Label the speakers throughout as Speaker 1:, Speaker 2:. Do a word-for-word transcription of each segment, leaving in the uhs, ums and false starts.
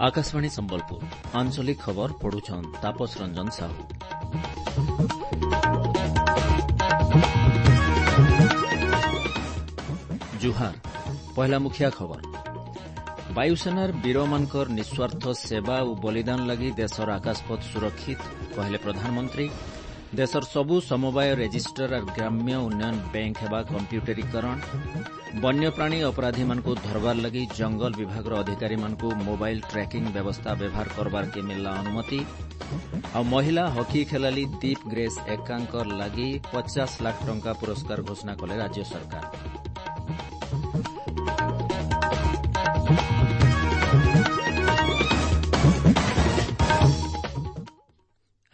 Speaker 1: Akashvani Sambalpur ଆଞ୍ଚଳିକ ଖବର ପଢୁଛନ୍ ତାପସ ରଞ୍ଜନ ସାହୁ। ଜୁହାର, ପହିଲା ମୁଖିଆ ଖବର। ବାୟୁସେନାର ବୀରମାନଙ୍କର ନିଃସ୍ୱାର୍ଥ ସେବା ଓ ବଳିଦାନ ଲାଗି ଦେଶର ଆକାଶପଥ ସୁରକ୍ଷିତ କହିଲେ ପ୍ରଧାନମନ୍ତ୍ରୀ। ଦେଶର ସବୁ ସମବାୟ ରେଜିଷ୍ଟର ଆର୍ ଗ୍ରାମ୍ୟ ଉନ୍ନୟନ ବ୍ୟାଙ୍କ ହେବା କମ୍ପ୍ୟୁଟରୀକରଣ। ବନ୍ୟପ୍ରାଣୀ ଅପରାଧୀମାନଙ୍କୁ ଧରବାର ଲାଗି ଜଙ୍ଗଲ ବିଭାଗର ଅଧିକାରୀମାନଙ୍କୁ ମୋବାଇଲ ଟ୍ରାକିଂ ବ୍ୟବସ୍ଥା ବ୍ୟବହାର କରବାର୍କେ ମିଳିଲା ଅନୁମତି। ଆଉ ମହିଳା ହକି ଖେଳାଳି ଦୀପ ଗ୍ରେସ୍ ଏକ୍କାଙ୍କ ଲାଗି ପଚାଶ ଲାଖ ଟଙ୍କା ପୁରସ୍କାର ଘୋଷଣା କଲେ ରାଜ୍ୟ ସରକାର।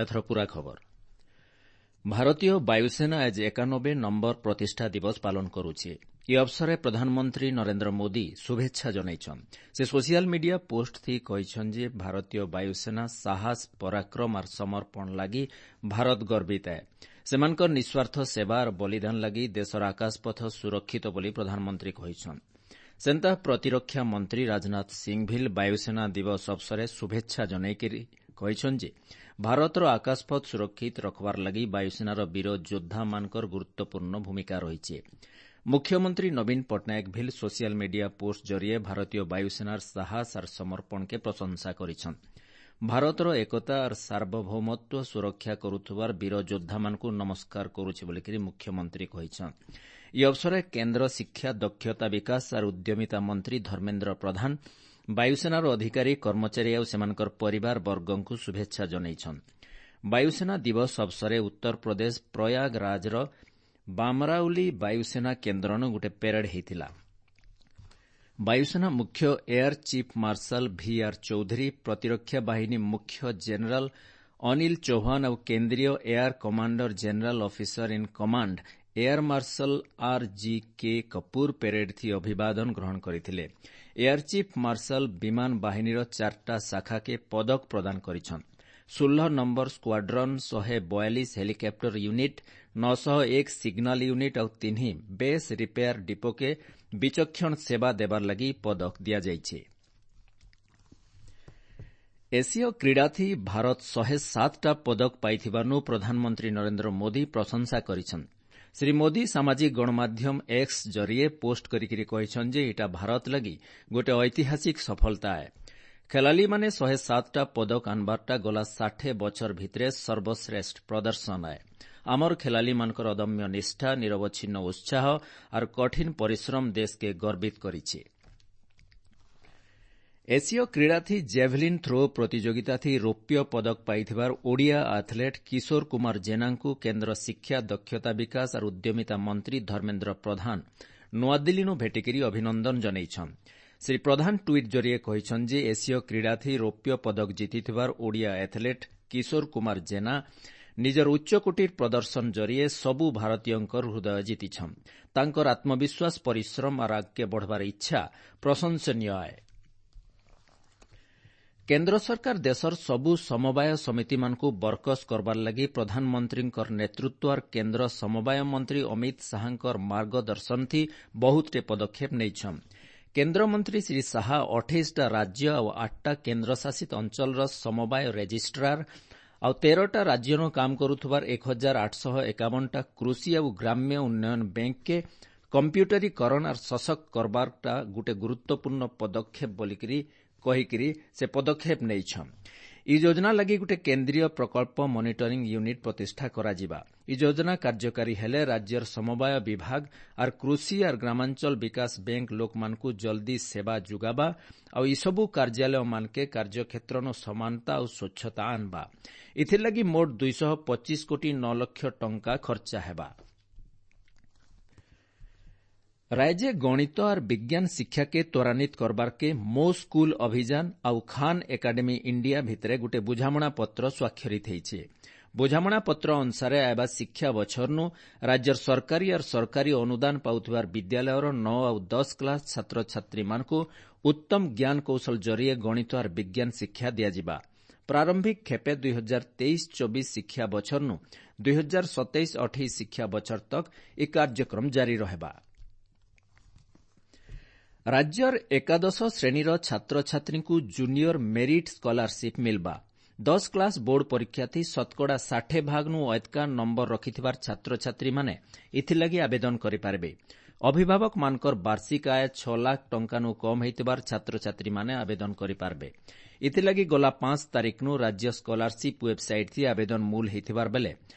Speaker 1: ଏଥର ପୂରା ଖବର। ଭାରତୀୟ ବାୟୁସେନା ଆଜି ଏକାନବେ ନମ୍ବର ପ୍ରତିଷ୍ଠା ଦିବସ ପାଳନ କରୁଛି। ଏ ଅବସରରେ ପ୍ରଧାନମନ୍ତ୍ରୀ ନରେନ୍ଦ୍ର ମୋଦି ଶୁଭେଚ୍ଛା ଜଣାଇଛନ୍। ସେ ସୋସିଆଲ ମିଡିଆ ପୋଷ୍ଟ ଥି କହିଛନ୍ ଯେ ଭାରତୀୟ ବାୟୁସେନା ସାହସ, ପରାକ୍ରମ ଆର୍ ସମର୍ପଣ ଲାଗି ଭାରତ ଗର୍ବିତ ଏ। ସେମାନଙ୍କର ନିଃସ୍ୱାର୍ଥ ସେବା ଆର୍ ବଳିଦାନ ଲାଗି ଦେଶର ଆକାଶପଥ ସୁରକ୍ଷିତ ବୋଲି ପ୍ରଧାନମନ୍ତ୍ରୀ କହିଛନ୍। ସେନ୍ତା ପ୍ରତିରକ୍ଷା ମନ୍ତ୍ରୀ ରାଜନାଥ ସିଂ ଭିଲ୍ ବାୟୁସେନା ଦିବସ ଅବସରରେ ଶୁଭେଚ୍ଛା ଜଣାଇକରି କହିଛନ୍ ଯେ ଭାରତର ଆକାଶପଥ ସୁରକ୍ଷିତ ରଖବାର ଲାଗି ବାୟୁସେନାର ବୀର ଯୋଦ୍ଧାମାନଙ୍କର ଗୁରୁତ୍ୱପୂର୍ଣ୍ଣ ଭୂମିକା ରହିଛି। ମୁଖ୍ୟମନ୍ତ୍ରୀ ନବୀନ ପଟ୍ଟନାୟକ ଭିଲ୍ ସୋସିଆଲ ମିଡିଆ ପୋଷ୍ଟ ଜରିଏ ଭାରତୀୟ ବାୟୁସେନାର ସାହସ ଆର୍ ସମର୍ପଣକେ ପ୍ରଶଂସା କରିଛନ୍। ଭାରତର ଏକତା ଆର୍ ସାର୍ବଭୌମତ୍ୱ ସୁରକ୍ଷା କରୁଥିବାର ବୀର ଯୋଦ୍ଧାମାନଙ୍କୁ ନମସ୍କାର କରୁଛି ବୋଲିକରି ମୁଖ୍ୟମନ୍ତ୍ରୀ କହିଛନ୍। ଏହି ଅବସରରେ କେନ୍ଦ୍ର ଶିକ୍ଷା, ଦକ୍ଷତା ବିକାଶ ଆର୍ ଉଦ୍ୟମିତା ମନ୍ତ୍ରୀ ଧର୍ମେନ୍ଦ୍ର ପ୍ରଧାନ ବାୟୁସେନାର ଅଧିକାରୀ, କର୍ମଚାରୀ ଆଉ ସେମାନଙ୍କର ପରିବାର ବର୍ଗଙ୍କୁ ଶୁଭେଚ୍ଛା ଜଣାଇଛନ୍। ବାୟୁସେନା ଦିବସ ଅବସରରେ ଉତ୍ତରପ୍ରଦେଶ ପ୍ରୟାଗରାଜର ବାମରାଉଲି ବାୟୁସେନା କେନ୍ଦ୍ରନୁ ଗୋଟେ ପ୍ୟାରେଡ୍ ହେଇଥିଲା। ବାୟୁସେନା ମୁଖ୍ୟ air chief marshal V R Chaudhari, ପ୍ରତିରକ୍ଷା ବାହିନୀ ମୁଖ୍ୟ ଜେନେରାଲ ଅନିଲ ଚୌହାନ ଆଉ କେନ୍ଦ୍ରୀୟ air commander general officer in command air marshal R G K Kapoor parade ଥି ଅଭିବାଦନ ଗ୍ରହଣ କରିଥିଲେ। ଏୟାର ଚିଫ୍ ମାର୍ଶାଲ ବିମାନ ବାହିନୀର ଚାରିଟା ଶାଖାକେ ପଦକ ପ୍ରଦାନ କରିଛନ୍। ଷୋହଳ ନମ୍ବର ସ୍କ୍ୱାଡ୍ରନ୍, ଶହେ ବୟାଳିଶ ହେଲିକପ୍ଟର ୟୁନିଟ୍, ନଅଶହ ଏକ ସିଗ୍ନାଲ ୟୁନିଟ୍ ଆଉ ତିନି ବେସ୍ ରିପେୟାର ଡିପୋକେ ବିଚକ୍ଷଣ ସେବା ଦେବାର ଲାଗି ପଦକ ଦିଆଯାଇଛି। ଏସୀୟ କ୍ରୀଡ଼ାଥି ଭାରତ ଶହେ ସାତଟା ପଦକ ପାଇଥିବାରୁ ପ୍ରଧାନମନ୍ତ୍ରୀ ନରେନ୍ଦ୍ର ମୋଦି ପ୍ରଶଂସା କରିଛନ୍। ଶ୍ରୀ ମୋଦି ସାମାଜିକ ଗଣମାଧ୍ୟମ ଏକ୍ସ ଜରିଏ ପୋଷ୍ଟ କରିକିରି କହିଛନ୍ ଯେ ଇଟା ଭାରତ ଲାଗି ଗୋଟେ ଐତିହାସିକ ସଫଳତା ଏ। ଖେଳାଳିମାନେ ଶହେ ସାତଟା ପଦକ ଆନବାରଟା ଗଲା ଷାଠେ ବଛର ଭିତରେ ସର୍ବଶ୍ରେଷ୍ଠ ପ୍ରଦର୍ଶନ ଏ। ଆମର ଖେଳାଳିମାନଙ୍କର ଅଦମ୍ୟ ନିଷ୍ଠା, ନିରବଚ୍ଛିନ୍ନ ଉତ୍ସାହ ଆର୍ କଠିନ ପରିଶ୍ରମ ଦେଶକେ ଗର୍ବିତ କରିଛି। ଏସୀୟ କ୍ରୀଡ଼ାଥି ଜେଭଲିନ୍ ଥ୍ରୋ ପ୍ରତିଯୋଗିତାଥି ରୌପ୍ୟ ପଦକ ପାଇଥିବାର ଓଡ଼ିଆ ଆଥଲେଟ୍ କିଶୋର କୁମାର ଜେନାଙ୍କୁ କେନ୍ଦ୍ର ଶିକ୍ଷା, ଦକ୍ଷତା ବିକାଶ ଆର୍ ଉଦ୍ୟମିତା ମନ୍ତ୍ରୀ ଧର୍ମେନ୍ଦ୍ର ପ୍ରଧାନ ନୂଆଦିଲ୍ଲୀନୁ ଭେଟିକରି ଅଭିନନ୍ଦନ ଜଣାଇଛନ୍। ଶ୍ରୀ ପ୍ରଧାନ ଟ୍ୱିଟ୍ ଜରିଏ କହିଛନ୍ ଯେ ଏସୀୟ କ୍ରୀଡ଼ାଥି ରୌପ୍ୟ ପଦକ ଜିତିଥିବାର ଓଡ଼ିଆ ଆଥଲେଟ୍ କିଶୋର କୁମାର ଜେନା ନିଜର ଉଚ୍ଚକୋଟୀର ପ୍ରଦର୍ଶନ ଜରିଏ ସବୁ ଭାରତୀୟଙ୍କର ହୃଦୟ ଜିତିଛନ୍। ତାଙ୍କର ଆତ୍ମବିଶ୍ୱାସ, ପରିଶ୍ରମ ଆର୍ ଆଗକେ ବଢ଼ବାର ଇଚ୍ଛା ପ୍ରଶଂସନୀୟ ଆଏ। କେନ୍ଦ୍ର ସରକାର ଦେଶର ସବୁ ସମବାୟ ସମିତିମାନଙ୍କୁ ବରକସ କରବାର ଲାଗି ପ୍ରଧାନମନ୍ତ୍ରୀଙ୍କର ନେତୃତ୍ୱ ଆର୍ କେନ୍ଦ୍ର ସମବାୟ ମନ୍ତ୍ରୀ ଅମିତ ଶାହାଙ୍କର ମାର୍ଗଦର୍ଶନଥି ବହୁତଟେ ପଦକ୍ଷେପ ନେଇଛନ୍। କେନ୍ଦ୍ରମନ୍ତ୍ରୀ ଶ୍ରୀ ଶାହା ଅଠେଇଶଟା ରାଜ୍ୟ ଆଉ ଆଠଟା କେନ୍ଦ୍ରଶାସିତ ଅଞ୍ଚଳର ସମବାୟ ରେଜିଷ୍ଟ୍ରାର ଆଉ ତେରଟା ରାଜ୍ୟନୁ କାମ କରୁଥିବାର ଏକ ହଜାର ଆଠଶହ ଏକାବନଟା କୃଷି ଆଉ ଗ୍ରାମ୍ୟ ଉନ୍ନୟନ ବ୍ୟାଙ୍କକେ କମ୍ପ୍ୟୁଟରୀକରଣ ଆର୍ ସଶକ୍ତ କରବାରଟା ଗୋଟେ ଗୁରୁତ୍ୱପୂର୍ଣ୍ଣ ପଦକ୍ଷେପ ବୋଲିକରି କହିକିରି ସେ ପଦକ୍ଷେପ ନେଇଛନ୍। ଇ ଯୋଜନା ଲାଗି ଗୋଟେ କେନ୍ଦ୍ରୀୟ ପ୍ରକଳ୍ପ ମନିଟରିଂ ୟୁନିଟ୍ ପ୍ରତିଷ୍ଠା କରାଯିବା। ଇ ଯୋଜନା କାର୍ଯ୍ୟକାରୀ ହେଲେ ରାଜ୍ୟର ସମବାୟ ବିଭାଗ ଆର୍ କୃଷି ଆର୍ ଗ୍ରାମାଞ୍ଚଳ ବିକାଶ ବ୍ୟାଙ୍କ ଲୋକମାନଙ୍କୁ ଜଲ୍ଦି ସେବା ଯୋଗାବା ଆଉ ଇସବୁ କାର୍ଯ୍ୟାଳୟମାନକେ କାର୍ଯ୍ୟକ୍ଷେତ୍ରନୁ ସମାନତା ଆଉ ସ୍ୱଚ୍ଛତା ଆନବା। ଏଥିର୍ଲାଗି ମୋଟ ଦୁଇଶହ ପଚିଶ କୋଟି ନଅ ଲକ୍ଷ ଟଙ୍କା ଖର୍ଚ୍ଚା ହେବା। ରାଜ୍ୟ ଗଣିତ ଆର୍ ବିଜ୍ଞାନ ଶିକ୍ଷାକେ ତ୍ୱରାନ୍ୱିତ କରବାର୍କେ ମୋ ସ୍କୁଲ ଅଭିଯାନ ଆଉ ଖାନ୍ ଏକାଡେମୀ ଇଣ୍ଡିଆ ଭିତରେ ଗୋଟେ ବୁଝାମଣା ପତ୍ର ସ୍ୱାକ୍ଷରିତ ହେଇଛେ। ବୁଝାମଣା ପତ୍ର ଅନୁସାରେ ଆଇବା ଶିକ୍ଷା ବଛରନୁ ରାଜ୍ୟର ସରକାରୀ ଆର୍ ସରକାରୀ ଅନୁଦାନ ପାଉଥିବାର ବିଦ୍ୟାଳୟର ନଅ ଆଉ ଦଶ କ୍ଲାସ ଛାତ୍ରଛାତ୍ରୀମାନଙ୍କୁ ଉତ୍ତମ ଜ୍ଞାନ କୌଶଳ ଜରିଏ ଗଣିତ ଆର୍ ବିଜ୍ଞାନ ଶିକ୍ଷା ଦିଆଯିବା। ପ୍ରାରମ୍ଭିକ ଖେପେ ଦୁଇ ହଜାର ତେଇଶ ଚବିଶ ଶିକ୍ଷା ବଛରନୁ ଦୁଇ ହଜାର ସତେଇଶ ଅଠେଇଶ ଶିକ୍ଷା ବଛର ତକ୍ ଇ କାର୍ଯ୍ୟକ୍ରମ ଜାରି ରହେବା। ରାଜ୍ୟର ଏକାଦଶ ଶ୍ରେଣୀର ଛାତ୍ରଛାତ୍ରୀଙ୍କୁ ଜୁନିୟର ମେରିଟ୍ ସ୍କଲାରସିପ୍ ମିଲ୍ବା। ଦଶ କ୍ଲାସ୍ ବୋର୍ଡ ପରୀକ୍ଷାଥି ଶତକଡ଼ା ଷାଠେ ଭାଗନୁ ଅଏତ୍କା ନମ୍ବର ରଖିଥିବାର ଛାତ୍ରଛାତ୍ରୀମାନେ ଏଥିଲାଗି ଆବେଦନ କରିପାରିବେ। ଅଭିଭାବକମାନଙ୍କର ବାର୍ଷିକ ଆୟ ଛଅ ଲାଖ ଟଙ୍କାନୁ କମ୍ ହୋଇଥିବାର ଛାତ୍ରଛାତ୍ରୀମାନେ ଆବେଦନ କରିପାରିବେ। ଏଥିଲାଗି ଗଲା ପାଞ୍ଚ ତାରିଖନୁ ରାଜ୍ୟ ସ୍କଲାରସିପ୍ ୱେବ୍ସାଇଟ୍ ଥି ଆବେଦନ ମୂଲ ହୋଇଥିବାର ବେଲେ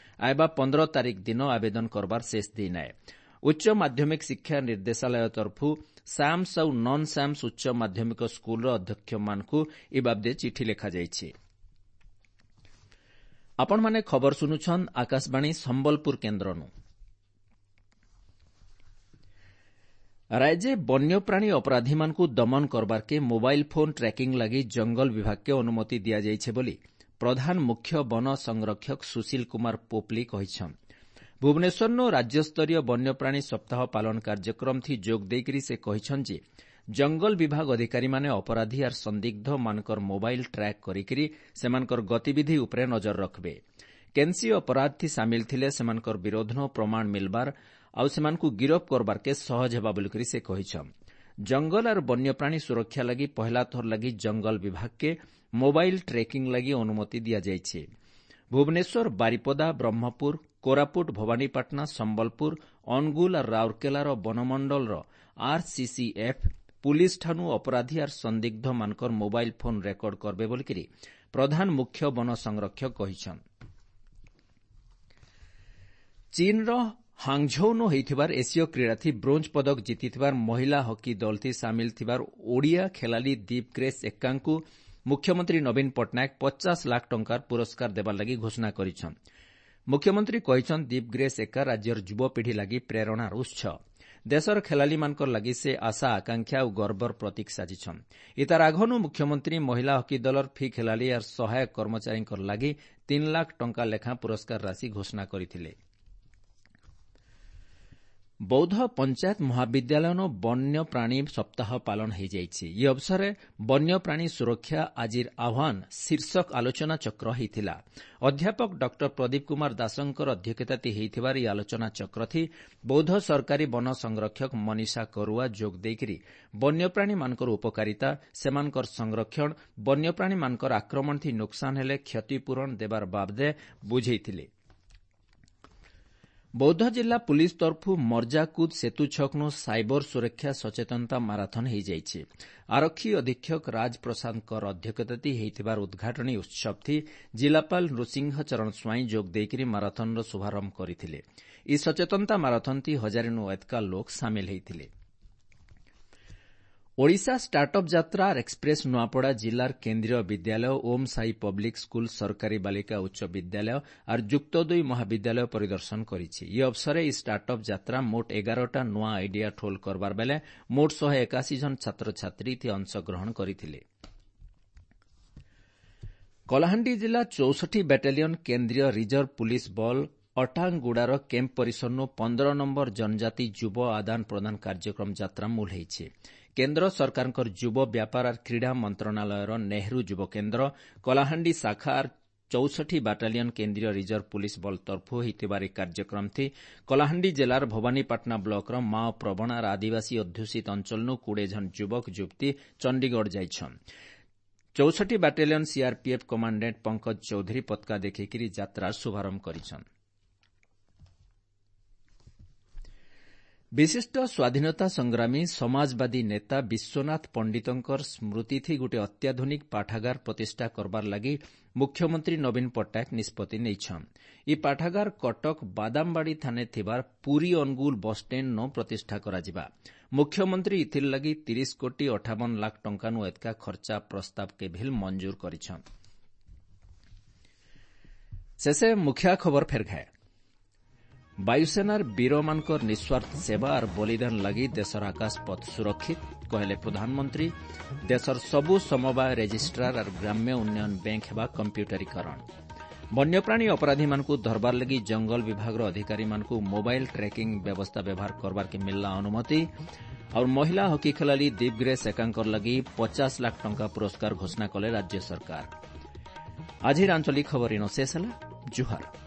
Speaker 1: ଆଇବା ପନ୍ଦର ତାରିଖ ଦିନ ଆବେଦନ କରବାର ଶେଷ ଦିନ ଆଏ। ଉଚ୍ଚ ମାଧ୍ୟମିକ ଶିକ୍ଷା ନିର୍ଦ୍ଦେଶାଳୟ ତରଫୁ ସାମ୍ସ ଆଉ ନନ୍ ସାମ୍ସ ଉଚ୍ଚ ମାଧ୍ୟମିକ ସ୍କୁଲର ଅଧ୍ୟକ୍ଷମାନଙ୍କୁ ଏ ବାବଦେ ଚିଠି ଲେଖାଯାଇଛି। ଆପଣମାନେ ଖବର ଶୁଣୁଛନ୍ ଆକାଶବାଣୀ ସମ୍ବଲପୁର କେନ୍ଦ୍ରନୁ। ରାଜ୍ୟେ ବନ୍ୟପ୍ରାଣୀ ଅପରାଧୀମାନଙ୍କୁ ଦମନ କରବାର୍କେ ମୋବାଇଲ୍ ଫୋନ୍ ଟ୍ରାକିଂ ଲାଗି ଜଙ୍ଗଲ ବିଭାଗକେ ଅନୁମତି ଦିଆଯାଇଛେ ବୋଲି ପ୍ରଧାନ ମୁଖ୍ୟ ବନ ସଂରକ୍ଷକ ସୁଶୀଲ କୁମାର ପୋପ୍ଲି କହିଛନ୍। ଭୁବନେଶ୍ୱରନୁ ରାଜ୍ୟସ୍ତରୀୟ ବନ୍ୟପ୍ରାଣୀ ସପ୍ତାହ ପାଳନ କାର୍ଯ୍ୟକ୍ରମଥି ଯୋଗ ଦେଇକରି ସେ କହିଛନ୍ ଯେ ଜଙ୍ଗଲ ବିଭାଗ ଅଧିକାରୀମାନେ ଅପରାଧୀ ଆର୍ ସନ୍ଦିଗ୍ଧମାନଙ୍କର ମୋବାଇଲ୍ ଟ୍ରାକ୍ କରିକିରି ସେମାନଙ୍କର ଗତିବିଧି ଉପରେ ନଜର ରଖ୍ବେ। କେନ୍ସି ଅପରାଧଥି ସାମିଲ ଥିଲେ ସେମାନଙ୍କର ବିରୋଧନ ପ୍ରମାଣ ମିଲ୍ବାର ଆଉ ସେମାନଙ୍କୁ ଗିରଫ କରବାର୍କେ ସହଜ ହେବା ବୋଲିକରି ସେ କହିଛନ୍। ଜଙ୍ଗଲ ଆର୍ ବନ୍ୟପ୍ରାଣୀ ସୁରକ୍ଷା ଲାଗି ପହେଲା ଥର ଲାଗି ଜଙ୍ଗଲ ବିଭାଗକେ ମୋବାଇଲ୍ ଟ୍ରେକିଂ ଲାଗି ଅନୁମତି ଦିଆଯାଇଛି। ଭୁବନେଶ୍ୱର, ବାରିପଦା, ବ୍ରହ୍ମପୁର, କୋରାପୁଟ, ଭବାନୀପାଟଣା, ସମ୍ବଲପୁର, ଅନୁଗୁଳ ଆର୍ ରାଉରକେଲାର ବନମଣ୍ଡଳର ଆର୍ସିସିଏଫ୍ ପୁଲିସ୍ ଠାନୁ ଅପରାଧୀ ଆର୍ ସନ୍ଦିଗ୍ଧମାନଙ୍କର ମୋବାଇଲ୍ ଫୋନ୍ ରେକର୍ଡ କରବେ ବୋଲିକରି ପ୍ରଧାନ ମୁଖ୍ୟ ବନ ସଂରକ୍ଷକ କହିଛନ୍। ଚୀନ୍ର ହାଙ୍ଗଝୌନୁ ହୋଇଥିବାର ଏସୀୟ କ୍ରୀଡ଼ାଥି ବ୍ରୋଞ୍ଜ ପଦକ ଜିତିଥିବାର ମହିଳା ହକି ଦଳଥି ସାମିଲ ଥିବାର ଓଡ଼ିଆ ଖେଳାଳି ଦୀପ ଗ୍ରେସ୍ ଏକ୍କାଙ୍କୁ ମୁଖ୍ୟମନ୍ତ୍ରୀ ନବୀନ ପଟ୍ଟନାୟକ ପଚାଶ ଲାଖ ଟଙ୍କାର ପୁରସ୍କାର ଦେବାର ଲାଗି ଘୋଷଣା କରିଛନ୍। ମୁଖ୍ୟମନ୍ତ୍ରୀ କହିଛନ୍ ଦୀପ ଗ୍ରେସ୍ ଏକ୍କା ରାଜ୍ୟର ଯୁବପିଢ଼ି ଲାଗି ପ୍ରେରଣାର ଉତ୍ସ। ଦେଶର ଖେଳାଳିମାନଙ୍କର ଲାଗି ସେ ଆଶା, ଆକାଂକ୍ଷା ଓ ଗର୍ବର ପ୍ରତୀକ ସାଜିଛନ୍। ଇତାର ଆଘନୁ ମୁଖ୍ୟମନ୍ତ୍ରୀ ମହିଳା ହକି ଦଳର ଫି ଖେଳାଳି ଆର୍ ସହାୟକ କର୍ମଚାରୀଙ୍କର ଲାଗି ତିନି ଲାଖ ଟଙ୍କା ଲେଖାଁ ପୁରସ୍କାର ରାଶି ଘୋଷଣା କରିଥିଲେ। ବୌଦ୍ଧ ପଞ୍ଚାୟତ ମହାବିଦ୍ୟାଳୟନ ବନ୍ୟପ୍ରାଣୀ ସପ୍ତାହ ପାଳନ ହୋଇଯାଇଛି। ଏହି ଅବସରରେ ବନ୍ୟପ୍ରାଣୀ ସୁରକ୍ଷା ଆଜିର ଆହ୍ୱାନ ଶୀର୍ଷକ ଆଲୋଚନାଚକ୍ର ହୋଇଥିଲା। ଅଧ୍ୟାପକ ଡକ୍ଟର ପ୍ରଦୀପ କୁମାର ଦାସଙ୍କର ଅଧ୍ୟକ୍ଷତାତି ହୋଇଥିବାର ଏହି ଆଲୋଚନାଚକ୍ରଥି ବୌଦ୍ଧ ସରକାରୀ ବନ ସଂରକ୍ଷକ ମନୀଷା କରୁଆ ଯୋଗ ଦେଇକରି ବନ୍ୟପ୍ରାଣୀମାନଙ୍କର ଉପକାରିତା, ସେମାନଙ୍କର ସଂରକ୍ଷଣ, ବନ୍ୟପ୍ରାଣୀମାନଙ୍କର ଆକ୍ରମଣଥି ନୁକସାନ ହେଲେ କ୍ଷତିପୂରଣ ଦେବାର ବାବଦେ ବୁଝେଇଥିଲେ। ବୌଦ୍ଧ ଜିଲ୍ଲା ପୁଲିସ୍ ତରଫୁ ମର୍ଜାକୁଦ ସେତୁ ଛକନୁ ସାଇବର ସୁରକ୍ଷା ସଚେତନତା ମାରାଥନ ହୋଇଯାଇଛି। ଆରକ୍ଷୀ ଅଧୀକ୍ଷକ ରାଜ ପ୍ରସାଦଙ୍କର ଅଧ୍ୟକ୍ଷତାତି ହୋଇଥିବାର ଉଦ୍ଘାଟନୀ ଉତ୍ସବଥି ଜିଲ୍ଲାପାଳ ନୃସିଂହ ଚରଣ ସ୍ୱାଇଁ ଯୋଗ ଦେଇକରି ମାରାଥନର ଶୁଭାରମ୍ଭ କରିଥିଲେ। ଏହି ସଚେତନତା ମାରାଥନଥି ହଜାରେନୁ ଏତକା ଲୋକ ସାମିଲ ହୋଇଥିଲେ। ଓଡ଼ିଶା ଷ୍ଟାର୍ଟଅପ୍ ଯାତ୍ରା ଏକ୍ସପ୍ରେସ୍ ନୂଆପଡ଼ା ଜିଲ୍ଲାର କେନ୍ଦ୍ରୀୟ ବିଦ୍ୟାଳୟ, ଓମ୍ ସାଇ ପବ୍ଲିକ୍ ସ୍କୁଲ, ସରକାରୀ ବାଳିକା ଉଚ୍ଚ ବିଦ୍ୟାଳୟ ଆର୍ ଯୁକ୍ତ ଦୁଇ ମହାବିଦ୍ୟାଳୟ ପରିଦର୍ଶନ କରିଛି। ଏହି ଅବସରରେ ଏହି ଷ୍ଟାର୍ଟଅପ୍ ଯାତ୍ରା ମୋଟ ଏଗାରଟା ନୂଆ ଆଇଡିଆ ଠୋଲ କରବାର ବେଲେ ମୋଟ ଶହେ ଏକାଶୀ ଜଣ ଛାତ୍ରଛାତ୍ରୀ ଏଥି ଅଂଶଗ୍ରହଣ କରିଥିଲେ। କଳାହାଣ୍ଡି ଜିଲ୍ଲା ଚଉଷଠି ବାଟାଲିୟନ କେନ୍ଦ୍ରୀୟ ରିଜର୍ଭ ପୁଲିସ୍ ବଳ ଅଟାଙ୍ଗଗୁଡ଼ାର କ୍ୟାମ୍ପ ପରିସରନୁ ପନ୍ଦର ନମ୍ବର ଜନଜାତି ଯୁବ ଆଦାନ ପ୍ରଦାନ କାର୍ଯ୍ୟକ୍ରମ ଯାତ୍ରା ମୂଲ ହୋଇଛି। କେନ୍ଦ୍ର ସରକାରଙ୍କର ଯୁବ ବ୍ୟାପାର ଆର୍ କ୍ରୀଡ଼ା ମନ୍ତ୍ରଣାଳୟର ନେହେରୁ ଯୁବ କେନ୍ଦ୍ର କଳାହାଣ୍ଡି ଶାଖା ଆର୍ ଚଉଷଠି ବାଟାଲିୟନ କେନ୍ଦ୍ରୀୟ ରିଜର୍ଭ ପୁଲିସ୍ ବଳ ତରଫୁ ହୋଇଥିବାର ଏହି କାର୍ଯ୍ୟକ୍ରମଥି କଳାହାଣ୍ଡି ଜିଲ୍ଲାର ଭବାନୀପାଟଣା ବ୍ଲକର ମାଓ ପ୍ରବଣ ଆର୍ ଆଦିବାସୀ ଅଧ୍ୟୁଷିତ ଅଞ୍ଚଳନୁ କୋଡ଼ିଏ ଜଣ ଯୁବକ ଯୁବତୀ ଚଣ୍ଡିଗଡ଼ ଯାଇଛନ୍। ଚଉଷଠି battalion CRPF commandant Pankaj Choudhury ପତାକା ଦେଖେଇକରି ଯାତ୍ରାର ଶୁଭାରମ୍ଭ କରିଛନ୍। ବିଶିଷ୍ଟ ସ୍ୱାଧୀନତା ସଂଗ୍ରାମୀ ସମାଜବାଦୀ ନେତା ବିଶ୍ୱନାଥ ପଣ୍ଡିତଙ୍କର ସ୍ମୃତିଥି ଗୋଟିଏ ଅତ୍ୟାଧୁନିକ ପାଠାଗାର ପ୍ରତିଷ୍ଠା କରବାର ଲାଗି ମୁଖ୍ୟମନ୍ତ୍ରୀ ନବୀନ ପଟ୍ଟନାୟକ ନିଷ୍ପତ୍ତି ନେଇଛନ୍। ଏହି ପାଠାଗାର କଟକ ବାଦାମବାଡ଼ି ଥାନେ ଥିବାର ପୁରୀ ଅନୁଗୁଳ ବସ୍ଷ୍ଟାଣ୍ଡ ପ୍ରତିଷ୍ଠା କରାଯିବା। ମୁଖ୍ୟମନ୍ତ୍ରୀ ଇଥିର୍ ଲାଗି ତିରିଶ କୋଟି ଅଠାବନ ଲାଖ ଟଙ୍କାନୁ ଏତକା ଖର୍ଚ୍ଚା ପ୍ରସ୍ତାବକେ ଭିଲ୍ ମଞ୍ଜୁର କରିଛନ୍। ଶେଷେ ମୁଖିଆ ଖବର ଫେର୍ ଘାଏ। ବାୟୁସେନାର ବୀରମାନଙ୍କର ନିଃସ୍ୱାର୍ଥ ସେବା ଆର୍ ବଳିଦାନ ଲାଗି ଦେଶର ଆକାଶପଥ ସୁରକ୍ଷିତ କହିଲେ ପ୍ରଧାନମନ୍ତ୍ରୀ। ଦେଶର ସବୁ ସମବାୟ ରେଜିଷ୍ଟ୍ରାର ଆର୍ ଗ୍ରାମ୍ୟ ଉନ୍ନୟନ ବ୍ୟାଙ୍କ ହେବା କମ୍ପ୍ୟୁଟରୀକରଣ। ବନ୍ୟପ୍ରାଣୀ ଅପରାଧୀମାନଙ୍କୁ ଧରବାର ଲାଗି ଜଙ୍ଗଲ ବିଭାଗର ଅଧିକାରୀମାନଙ୍କୁ ମୋବାଇଲ ଟ୍ରାକିଂ ବ୍ୟବସ୍ଥା ବ୍ୟବହାର କରବାର୍କେ ମିଳିଲା ଅନୁମତି। ଆଉ ମହିଳା ହକି ଖେଳାଳି ଦୀପ ଗ୍ରେସ୍ ଏକାଙ୍କର ଲାଗି ପଚାଶ ଲାଖ ଟଙ୍କା ପୁରସ୍କାର ଘୋଷଣା କଲେ ରାଜ୍ୟ ସରକାର। ଆଜିର ଆଞ୍ଚଳିକ ଖବର ଇନ ଶେଷ ହେଲା। ଜୁହାର।